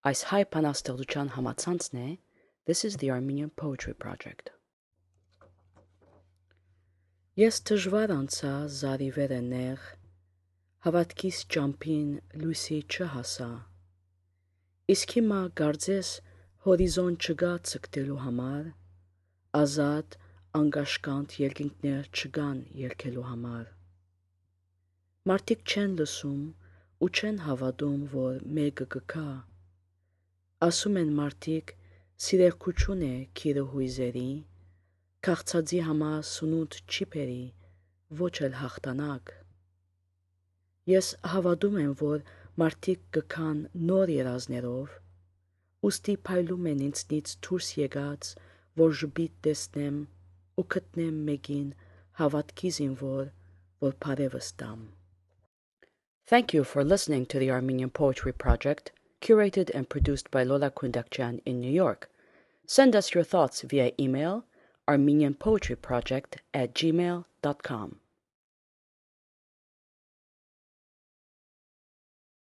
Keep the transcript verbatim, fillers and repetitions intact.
Այս հայ բանաստեղծության համացանցն է This is the Armenian Poetry Project. Ես դժվար անցա զարիվերը նեղ, հավատքիս ճամփին լույսի չհասա, իսկ հիմա կարծես հորիզոն չկա ցկտելու համար, ազատ անկաշկանդ երկինքներ չկան երգելու համար։ Մարդիկ չեն լսում ու չեն հավատում, որ մեկը կգա, ասում են մարդիկ սիրեղքություն է քիրը հույզերի, քաղցածի համար սնունդ չի բերի, ոչ էլ հաղթանակ։ Ես հավատում եմ, որ մարդիկ կգան նոր երազներով, ուստի փայլում են ինձնից դուրս եկած, որ ժպիտ տեսնեմ ու գտնեմ մեկին հավատքի զինվոր, որ բարևս տամ։ Thank you for listening to the Armenian Poetry Project, curated and produced by Lola Kundakjian in New York. Send us your thoughts via email armenianpoetryproject at gmail dot com.